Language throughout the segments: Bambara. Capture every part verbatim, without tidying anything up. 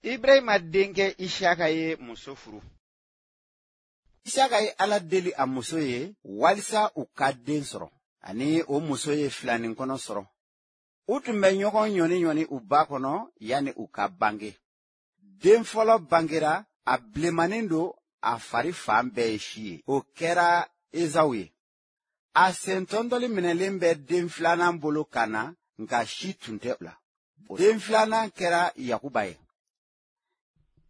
Ibrahima denkɛ Isaka ye muso furu. Isaka ye Ala deli a muso ye walisa u ka den sɔrɔ, ani o muso ye filanin kɔnɔ sɔrɔ. U tun bɛ ɲɔgɔn ɲɔni ɲɔni u ba kɔnɔ yanni u ka bange. Den fɔlɔ bangera, a bilenmanin don, a fari fan bɛɛ ye si ye. O kɛra Ezawu ye. A sen tɔntɔli minɛlen bɛ den filanan bolo ka na, nka si tun tɛ la. Den filanan kɛra Yakuba ye.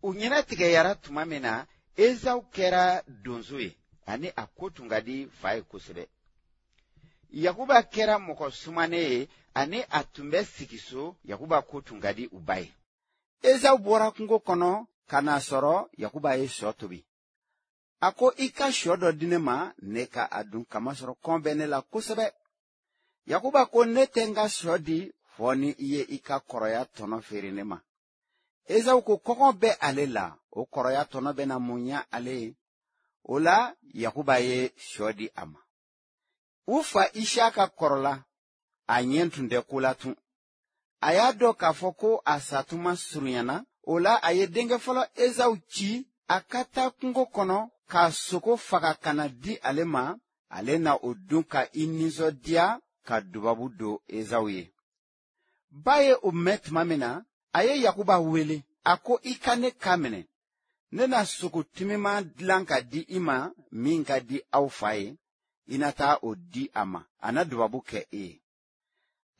U ɲɛnatigɛyara tuma min na, Ezawu kɛra donso ye, ani a ko tun ka di fa ye kosɛbɛ. Yakuba kɛra mɔgɔ sumanen ye, ani a tun bɛ sigi so. Yakuba ko tun ka di u ba ye. Ezawu bɔra kungo kɔnɔ ka n'a sɔrɔ Yakuba ye shɔ tobi. A ko, i ka shɔ dɔ di ne ma, ne ka a dun, kamasɔrɔ kɔn bɛ ne la kosɛbɛ. Yakuba ko, ne tɛ n ka shɔ di fɔ ni i ye i ka kɔrɔya tɔnɔ feere ne ma. Ezawu ko kɔngɔ bɛ ale la, o kɔrɔya tɔnɔ bɛna mun ɲɛ ale ye? O la Yakuba ye shɔ di a ma. U fa Isaka kɔrɔla, a ɲɛ tun tɛ ko la tun. A y'a dɔn k'a fɔ ko a satuma surunyana. O la a ye denkɛ fɔlɔ Ezawu ci a ka taa kungo kɔnɔ ka sogo faga ka na di ale ma, ale na o dun ka i nisɔndiya ka dubabu don Ezawu ye. Ba ye o mɛn tuma min na, a ye Yakuba wele. A ko, i ka ne kan minɛ, ne na sogo timiman dilan ka di i ma min ka di aw fa ye. I na taa o di a ma, a na dubabu kɛ e ye.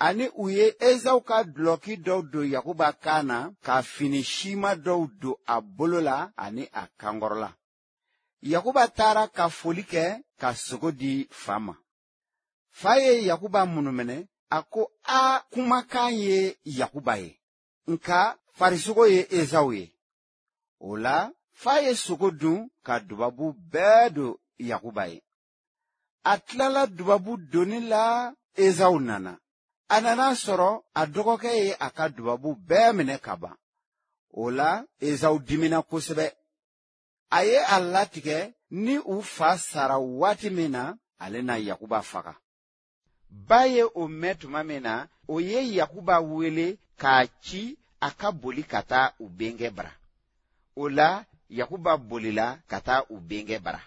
Ani u ye Ezawu ka dulɔki dɔw don Yakuba kan na, ka fini sima dɔw don a bolo la ani a kankɔrɔla. Yakuba taara ka foli kɛ ka sogo di fa ma. Fa ye Yakuba munumɛnɛ, a ko, a kumakan ye Yakuba ye, nka farisogo ye Ezawu ye. O la fa ye sogo dun ka dubabu bɛɛ don Yakuba ye. A tilala dubabu donni la, Ezawu nana. A nana sɔrɔ a dɔgɔkɛ ye a ka dubabu bɛɛ minɛ ka ban. O la Ezawu dimina kosɛbɛ. A ye a latigɛ ni u fa sara waati min na, ale na Yakuba faga. Ba ye o mɛn tuma min na, o ye Yakuba wele k'a ci a ka boli ka taa u bɛnkɛ bara. O la Yakuba bolila ka taa u bɛnkɛ bara.